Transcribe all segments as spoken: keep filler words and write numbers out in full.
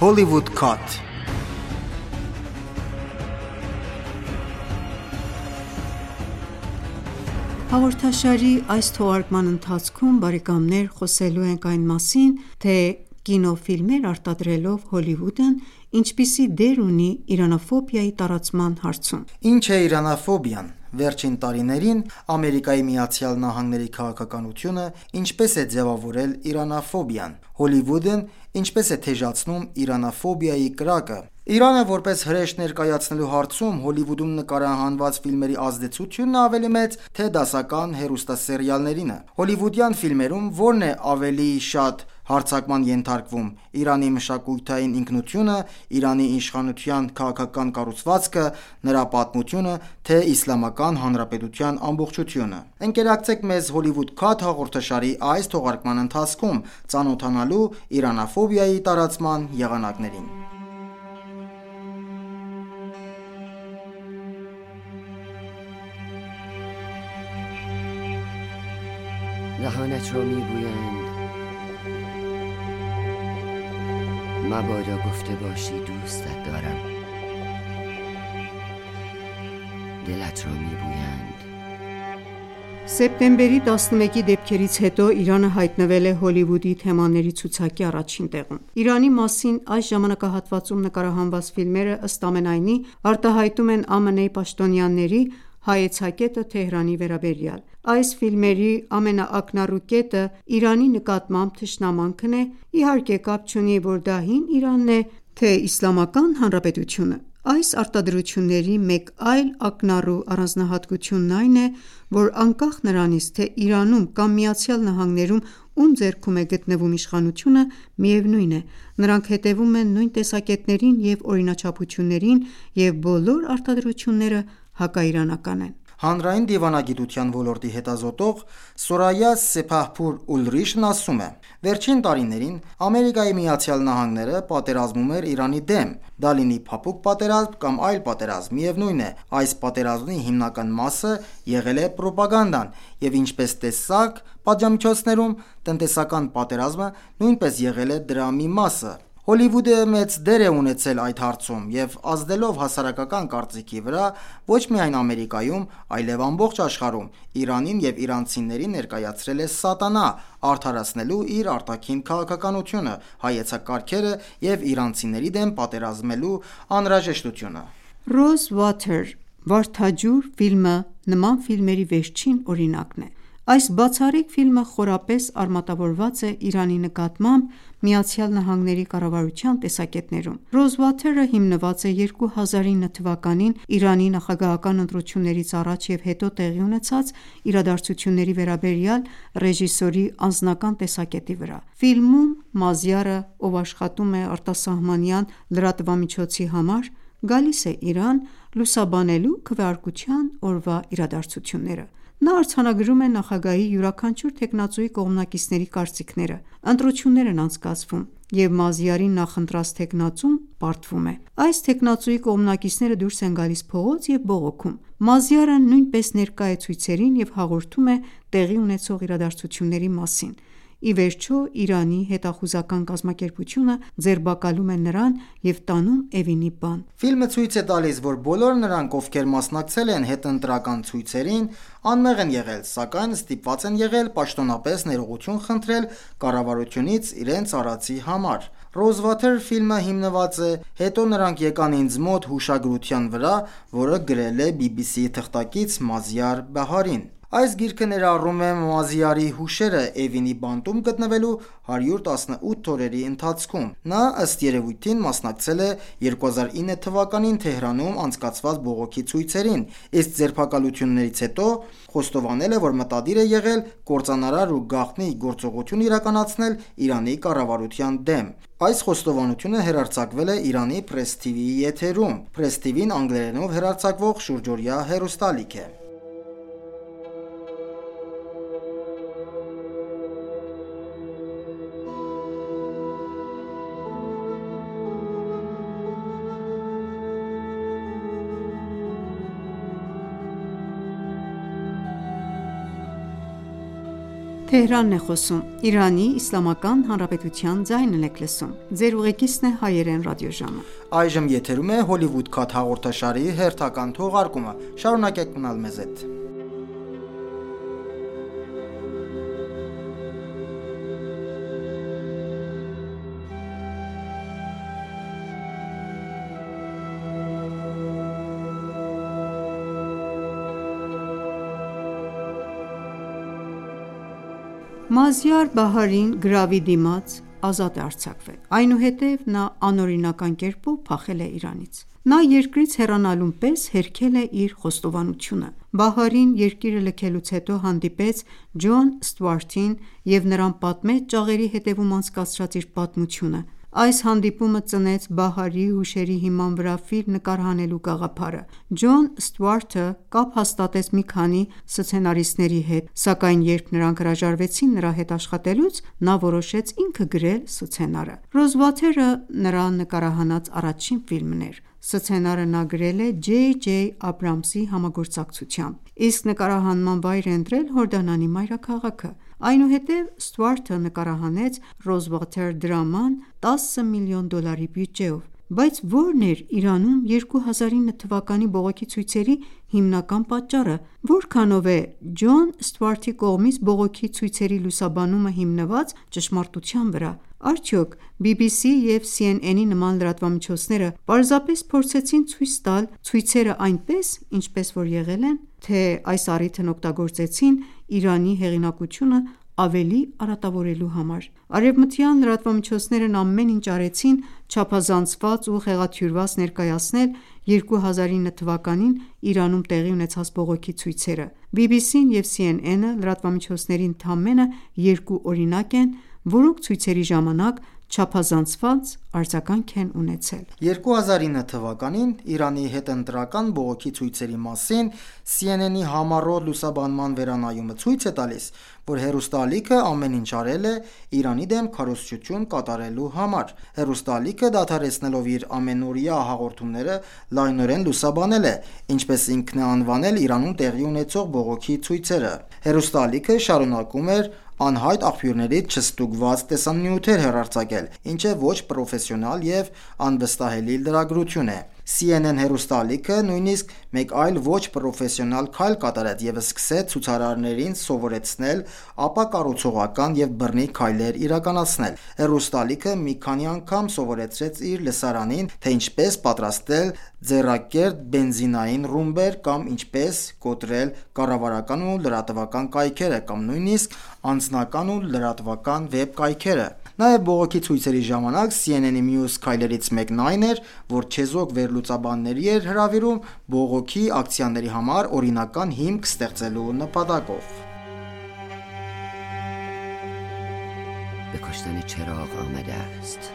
Hollywood Cut. Հաղորդաշարի այս թողարկման ընթացքում բարեկամներ խոսելու ենք այն մասին, թե կինոֆիլմեր արտադրելով Հոլիվուդն ինչպիսի դեր ունի իրանաֆոբիայի տարածման հարցում։ Ինչ է իրանաֆոբիան։ Վերջին տարիներին Ամերիկայի Միացյալ Նահանգների քաղաքականությունը ինչպես է ձևավորել իրանաֆոբիան։ Հոլիվուդն ինչպես է թեժացնում իրանաֆոբիայի կրակը։ Իրանը որպես հրեշ ներկայացնելու հարցում Հոլիվուդում նկարահանված ֆիլմերի ազդեցությունն ավելի մեծ, թե դասական հեռուստասերիալներինը։ Հոլիվուդյան ֆիլմերում ո՞րն է ավելի շատ հարձակման ենթարկվում՝ Իրանի մշակութային ինքնությունը, Իրանի իշխանության քաղաքական կառուցվածքը, նրա պատմությունը, թե Իսլամական Հանրապետության ամբողջությունը։ Ընկերակցեք մեզ Hollywood Cut հաղորդաշարի այս թողարկման ընթացքում ծանոթանալու իրանաֆոբիայի տարածման եղանակներին։ دهانت را میگویند مبادا گفته باشی دوستت دارم دلت را میگویند Սեպտեմբերի տասնմեկի դեպքերից հետո Իրանը հայտնվել է Հոլիվուդի թեմաների ցուցակի առաջին տեղում։ Իրանի մասին այս ժամանակահատվածում նկարահանված ֆիլմերը ըստ ամենայնի արտահայտում են ԱՄՆ-ի պաշտոնյաների հայեցակետը Թեհրանի վերաբերյալ։ Այս ֆիլմերի ամենաակնառու կետը Իրանի նկատմամբ թշնամանքն է, իհարկե կապ չունի, որ դա հին Իրանն է, թե Իսլամական Հանրապետությունը։ Այս արտադրությունների մեկ այլ ակնառու առանձնահատկությունն այն է, որ անկախ նրանից, թե Իրանում կամ ԱՄՆ-ում ում ձեռքում է գտնվում իշխանությունը, միևնույն է, նրանք հետևում են նույն տեսակետներին և օրինաչափություններին, և բոլոր արտադրությունները հակաիրանական են։ Հանրային դիվանագիտության ոլորտի հետազոտող Սորայա Սեփահփուր Ուլրիշն ասում է. Վերջին տարիներին Ամերիկայի Միացյալ Նահանգները պատերազմում էր Իրանի դեմ, դա լինի փափուկ պատերազմ կամ այլ պատերազմ, միևնույն է, այս պատերազմի հիմնական մասը եղել է պրոպագանդան, և ինչպես տեսակ պատժամիջոցներում, տնտեսական պատերազմը նույնպես եղել է դրա մի մասը։ Հոլիվուդը մեծ դեր է ունեցել այդ հարցում և ազդելով հասարակական կարծիքի վրա ոչ միայն Ամերիկայում, այլև ամբողջ աշխարհում Իրանին և իրանցիներին ներկայացրել է սատանա՝ արդարացնելու իր արտաքին քաղաքականությունը, հայեցակարգերը և իրանցիների դեմ պատերազմելու անհրաժեշտությունը։ Rosewater «Վարդաջուր» ֆիլմը նման ֆիլմերի վերջին օրինակն է։ Այս բացառիկ ֆիլմը խորապես արմատավորված է Իրանի նկատմամբ ԱՄՆ-ի կառավարության տեսակետներում։ Rosewater-ը հիմնված է երկու հազար ինը թվականին Իրանի նախագահական ընտրություններից առաջ և հետո տեղի ունեցած իրադարձությունների վերաբերյալ ռեժիսորի անձնական տեսակետի վրա։ Ֆիլմում Մազյարը, ով աշխատում է արտասահմանյան լրատվամիջոցի համար, գալիս է Իրան՝ լուսաբանելու քվեարկության օրվա իրադարձությունները։ Նա արձանագրում է նախագահի յուրաքանչյուր թեկնածուի կողմնակիցների կարծիքները։ Ընտրություններ են անցկացվում, և Մազյարի նախընտրած թեկնածուն պարտվում է։ Այս թեկնածուի կողմնակիցները դուրս են գալիս փողոց և բողոքում։ Մազյարը նույնպես ներկա է ցույցերին և հաղորդում է տեղի ունեցող իրադարձությունների մասին։ Ի վերջո, Իրանի հետախուզական կազմակերպությունը ձերբակալում է նրան և տանում Էվինի բան։ Ֆիլմը ցույց է տալիս, որ բոլոր նրանք, ովքեր մասնակցել են հետընտրական ցույցերին, անմեղ են եղել, սակայն ստիպված են եղել պաշտոնապես ներողություն խնդրել կառավարությունից իրենց արածի համար։ Rosewater ֆիլմը հիմնված է «Հետո նրանք եկան ինձ մոտ» հուշագրության վրա, որը գրել է բի բի սի-ի թղթակից Մազյար Բահարին։ Այս գիրքը ներառում է Մազյարի հուշերը Էվինի բանտում գտնվելու հարյուր տասնութ օրերի ընթացքում։ Նա, ըստ երևույթին, մասնակցել է երկու հազար ինը թվականին Թեհրանում անցկացված բողոքի ցույցերին, իսկ ձերբակալություններից հետո խոստովանել է, որ մտադիր է եղել կործանարար ու գաղտնի գործողություն իրականացնել Իրանի կառավարության դեմ։ Այս խոստովանությունը հեռարձակվել է Իրանի Press թի վի-ի եթերում։ Press թի վին անգլերենով հեռարձակվող շուրջօրյա հեռուստաալիք է։ Թեհրանն է խոսում, Իրանի Իսլամական Հանրապետության ձայնն եք լսում, ձեր ուղեկիցն է հայերեն ռադիոժամը։ Այժմ եթերում է Հոլիվուդ Քաթ հաղորդաշարի հերթական թողարկումը, շարունակեք մնալ մեզ հետ։ Մազյար Բահարին գրավի դիմաց ազատ է արձակվել, այնուհետև նա անօրինական կերպով փախել է Իրանից։ Նա երկրից հեռանալուն պես հերքել է իր խոստովանությունը։ Բահարին երկիրը լքելուց հետո հանդիպեց Ջոն Ստուարտին և նրան պատմեց ճաղերի հետևում անցկացրած իր պատմությունը։ Այս հանդիպումը ծնեց Բահարի հուշերի հիման վրա ֆիլմ նկարահանելու գաղափարը։ Ջոն Ստուարտը կապ հաստատեց մի քանի սցենարիստների հետ, սակայն երբ նրանք հրաժարվեցին նրա հետ աշխատելուց, նա որոշեց ինքը գրել սցենարը։ Ռոզվաթերը նրա նկարահանած առաջին ֆիլմն էր։ Սցենարը նա գրել է Ջեյ Ջեյ Աբրամսի համագործակցությամբ, իսկ նկարահանման վայր է ընտրել Հորդանանի մայրաքաղաքը։ Այնուհետև Ստուարտը նկարահանեց Ռոզվաթեր դրաման տասը միլիոն դոլարի բյուջեով։ Բայց ո՞րն էր Իրանում երկու հազար ինը թվականի բողոքի ցույցերի հիմնական պատճառը։ Որքանով է Ջոն Ստուարտի կողմից բողոքի ցույցերի լուսաբանումը հիմնված ճշմարտության վրա։ Արդյոք բի բի սի և Սի Են Են-ի նման լրատվամիջոցները պարզապես փորձեցին ցույց տալ ցույցերը այնպես, ինչպես որ եղել են, թե այս առիթն օգտագործեցին Իրանի հեղինակությունը ավելի արատավորելու համար։ Արևմտյան լրատվամիջոցներն ամեն ինչ արեցին չափազանցված ու խեղաթյուրված ներկայացնել երկու հազար ինը թվականին Իրանում տեղի ունեցած բողոքի ցույցերը։ բի բի սին և Սի Են Են-ը լրատվամիջոցների ընդամենը երկու օրինակ են, որոնք ցույցերի ժամանակ չափազանցված արձագանք են ունեցել։ երկու հազար ինը թվականին Իրանի հետընտրական բողոքի ցույցերի մասին Սի Են Են-ի համառոտ լուսաբանման վերանայումը ցույց է տալիս, որ հեռուստաալիքը ամեն ինչ արել է Իրանի դեմ քարոզչություն կատարելու համար։ Հեռուստաալիքը դադարեցնելով իր ամենօրյա հաղորդումները լայնորեն լուսաբանել է, ինչպես ինքն է անվանել Իրանում տեղի ունեցող բողոքի ցույցերը։ Հեռուստաալիքը շարունակում էր անհայտ աղբյուրներից չստուգված տեսանյութեր հեռարձակել, ինչը ոչ պրոֆեսիոնալ և անվստահելի լրագրություն է։ Սի Են Են հեռուստաալիքը նույնիսկ մեկ այլ ոչ պրոֆեսիոնալ քայլ կատարեց և սկսեց ցուցարարներին սովորեցնել ապակառուցողական և բռնի քայլեր իրականացնել։ Հեռուստաալիքը մի քանի անգամ սովորեցրեց իր լսարանին, թե ինչպես պատրաստել ձեռակերտ բենզինային ռումբեր կամ ինչպես կոտրել կառավարական ու լրատվական կայքերը կամ նույնիսկ անձնական ու լրատվական վեբ կայքերը։ Նաև բողոքի ցույցերի ժամանակ Սի Են Են-ի մյուս քայլերից մեկն այն էր, որ չեզոք վերլուծաբանների էր հրավիրում բողոքի ակցիաների համար օրինական հիմք ստեղծելու նպատակով։ به کشتن چراغ آمده است.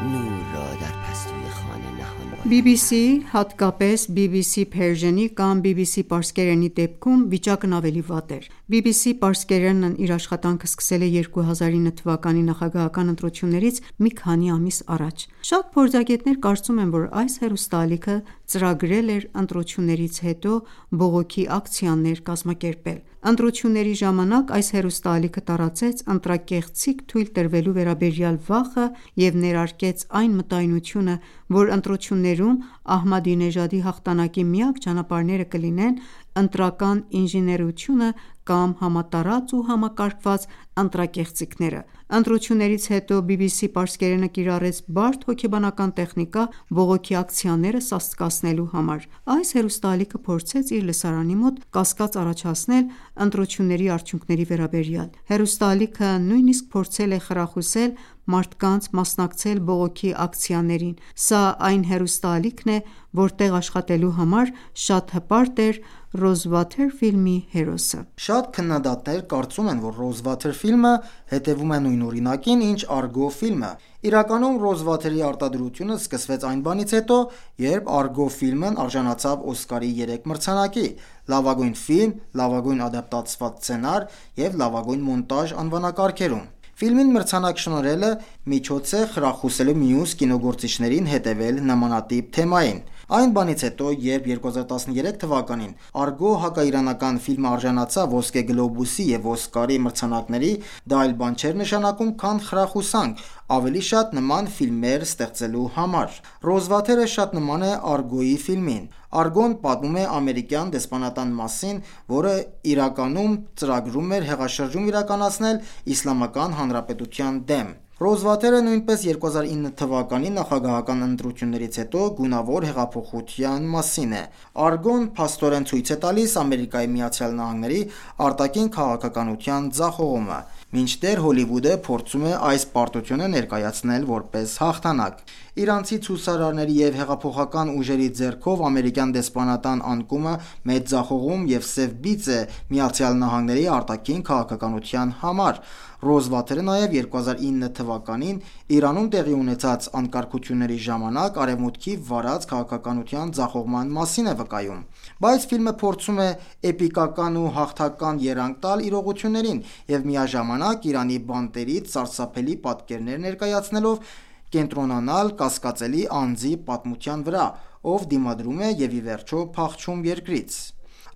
نور را در پستوی خانه نهان باید. բի բի սի, հատկապես բի բի սի Persian-ի կամ բի բի սի պարսկերենի դեպքում վիճակն ավելի վատ էր։ բի բի սի պարսկերենն իր աշխատանքը սկսել է երկու հազար ինը թվականի նախագահական ընտրություններից մի քանի ամիս առաջ։ Շատ փորձագետներ կարծում են, որ այս հեռուստաալիքը ծրագրել էր ընտրություններից հետո բողոքի ակցիաներ կազմակերպել։ Ընտրությունների ժամանակ այս հեռուստաալիքը տարածեց ընտրակեղծիք թույլ տրվելու վերաբերյալ վախը և ներարկեց այն մտայնությունը, որ ընտրություններում Ահմադինեժադի հաղթանակի միակ ճանապարհները կլինեն ընտրական ինժեներությունը կամ համատարած ու համակարգված ընտրակեղծիքները։ Ընտրություններից հետո բի բի սի պարսկերենը կիրառեց բարդ հոգեբանական տեխնիկա բողոքի ակցիաները սաստկացնելու համար։ Այս հեռուստաալիքը փորձեց իր լսարանի մոտ կասկած առաջացնել ընտրությունների արդյունքների վերաբերյալ։ Հեռուստաալիքը նույնիսկ փորձել է խրախուսել մարդկանց մասնակցել բողոքի ակցիաներին։ Սա այն հեռուստաալիքն է, որտեղ աշխատելու համար շատ հպարտ էր Ռոզվաթեր ֆիլմի հերոսը։ Շատ քննադատներ կարծում են, որ Ռոզվաթեր ֆիլմը հետևում է նույն օրինակին, ինչ Արգո ֆիլմը։ Իրականում Ռոզվաթերի արտադրությունը սկսվեց այն բանից հետո, երբ Արգո ֆիլմն արժանացավ Օսկարի երեք մրցանակի՝ լավագույն ֆիլմ, լավագույն ադապտացված սցենար և լավագույն մոնտաժ անվանակարգերում։ Ֆիլմին մրցանակ շնորհելը միջոց է խրախուսելու մյուս կինոգործիչներին հետևել նմանատիպ թեմային։ Այն բանից հետո, երբ երկու հազար տասներեք թվականին Argo հակաիրանական ֆիլմը արժանացավ Ոսկե գլոբուսի եւ Օսկարի մրցանակների, դա այլ բան չէր նշանակում, քան խրախուսանք ավելի շատ նման ֆիլմեր ստեղծելու համար։ Ռոզվաթերը շատ նման է Argo-ի ֆիլմին։ Argo-ն պատմում է ամերիկյան դեսպանատան մասին, որը իրականում ծրագրում էր հեղաշրջում իրականացնել Իսլամական Հանրապետության դեմ։ Ռոզվաթերը նույնպես երկու հազար ինը թվականի նախագահական ընտրություններից հետո գունավոր հեղափոխության մասին է։ Argo-ն փաստորեն ցույց է տալիս Ամերիկայի Միացյալ Նահանգների արտաքին քաղաքականության ձախողումը, մինչդեռ Հոլիվուդը փորձում է այս պարտությունը ներկայացնել որպես հաղթանակ։ Իրանցի ցուցարարների և հեղափոխական ուժերի ձեռքով ամերիկյան դեսպանատան անկումը մեծ ձախողում և սև բիծ է Միացյալ Նահանգների արտաքին քաղաքականության համար։ Ռոզվաթերը նաև երկու հազար ինը թվականին Իրանում տեղի ունեցած անկարգությունների ժամանակ Արևմուտքի վարած քաղաքականության ձախողման մասին է վկայում։ Բայց ֆիլմը փորձում է էպիկական ու հաղթական երանգ տալ իրողություններին և միաժամանակ Իրանի բանտերից սարսափելի պատկերներ ներկայացնելով կենտրոնանալ կասկածելի անձի պատմության վրա, ով դիմադրում է և ի վերջո փախչում երկրից։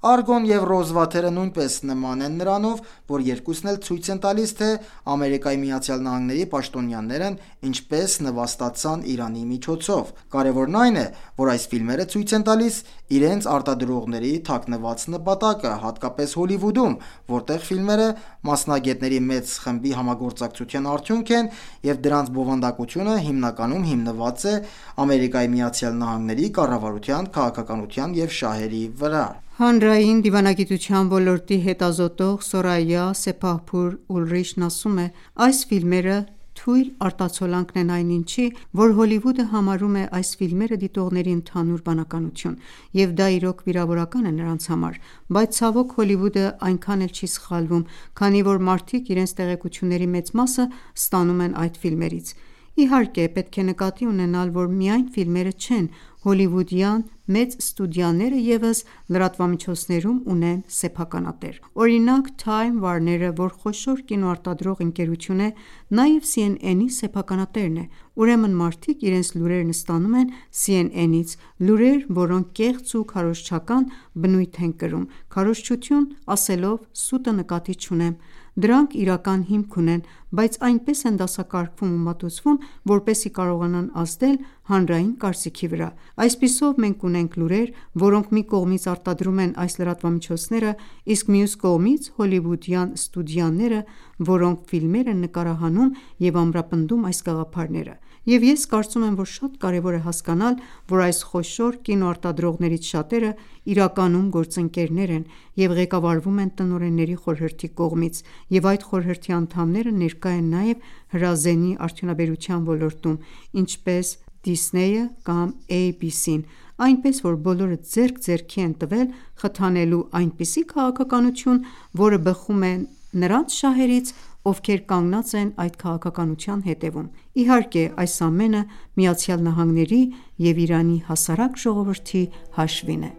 Argo-ն և Ռոզվաթերը նույնպես նման են նրանով, որ երկուսն էլ ցույց են տալիս, թե Ամերիկայի Միացյալ Նահանգների պաշտոնյաներն ինչպես նվաստացան Իրանի միջոցով։ Կարևորն այն է, որ այս ֆիլմերը ցույց են տալիս իրենց արտադրողների թաքնված նպատակը, հատկապես Հոլիվուդում, որտեղ ֆիլմերը մասնագետների մեծ խմբի համագործակցության արդյունք են, և դրանց բովանդակությունը հիմնականում հիմնված է Ամերիկայի Միացյալ Նահանգների կառավարության քաղաքականության և շահերի վրա։ Հանրային դիվանագիտության ոլորտի հետազոտող Սորայա Սեփահփուր Ուլրիչն ասում է. «Այս ֆիլմերը թույլ արտացոլանքն են այն ինչի, որ Հոլիվուդը համարում է այս ֆիլմերը դիտողների ընդհանուր բանականություն, և դա իրոք վիրավորական է նրանց համար, բայց ցավոք Հոլիվուդը այնքան էլ չի սխալվում, քանի որ մարդիկ իրենց տեղեկությունների մեծ մասը ստանում են այդ ֆիլմերից։ Իհարկե, պետք է նկատի ունենալ, որ միայն ֆիլմերը չեն, հոլիվուդյան մեծ ստուդիաները ևս լրատվամիջոցներում ունեն սեփականատեր։ Օրինակ, Time Warner-ը, որ խոշոր կինոարտադրող ընկերություն է, նաև C N N-ի սեփականատերն է։ Ուրեմն մարդիկ իրենց լուրերն ստանում են C N N-ից, լուրեր, որոնք կեղծ ու քարոզչական բնույթ են կրում։ Քարոզչություն ասելով սուտը նկատի չունեմ։ Դրանք իրական հիմք ունեն, բայց այնպես են դասակարգվում ու մատուցվում, որպեսզի կարողանան ազդել հանրային կարծիքի վրա։ Այսպիսով, մենք ունենք լուրեր, որոնք մի կողմից արտադրում են այս լրատվամիջոցները, իսկ մյուս կողմից հոլիվուդյան ստուդիաները, որոնք ֆիլմեր են նկարահանում և ամրապնդում այս գաղափարները։ Եվ ես կարծում եմ, որ շատ կարևոր է հասկանալ, որ այս խոշոր կինոարտադրողներից շատերը իրականում գործընկերներ են և ղեկավարվում են տնօրենների խորհրդի կողմից, և այդ խորհրդի անդամները ներկա են նաև հրազենի արդյունաբերության ոլորտում, ինչպես Disney-ը կամ A B C-ն, այնպես որ բոլորը ձեռք ձեռքի են տվել խթանելու այնպիսի քաղաքականություն, որը բխում է նրանց շահերից, ովքեր կանգնած են այդ քաղաքականության հետևում։ Իհարկե, այս ամենը Միացյալ Նահանգների և Իրանի հասարակ ժողովրդի հաշվին է։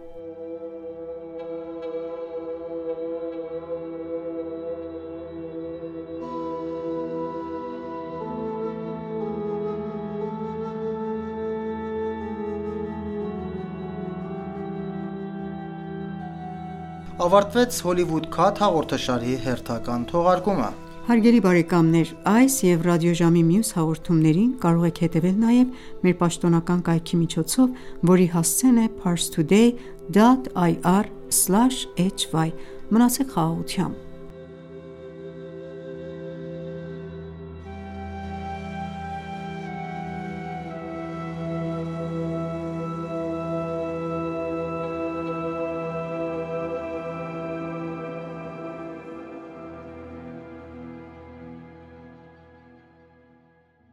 Ավարտվեց Hollywood Cut հաղորդաշարի հերթական թողարկումը։ Հարգելի բարեկամներ, այս և ռադիոժամի մյուս հաղորդումներին կարող եք հետևել նաև մեր պաշտոնական կայքի միջոցով, որի հասցեն է parstoday dot ir slash hy։ Մնացեք խաղաղությամբ։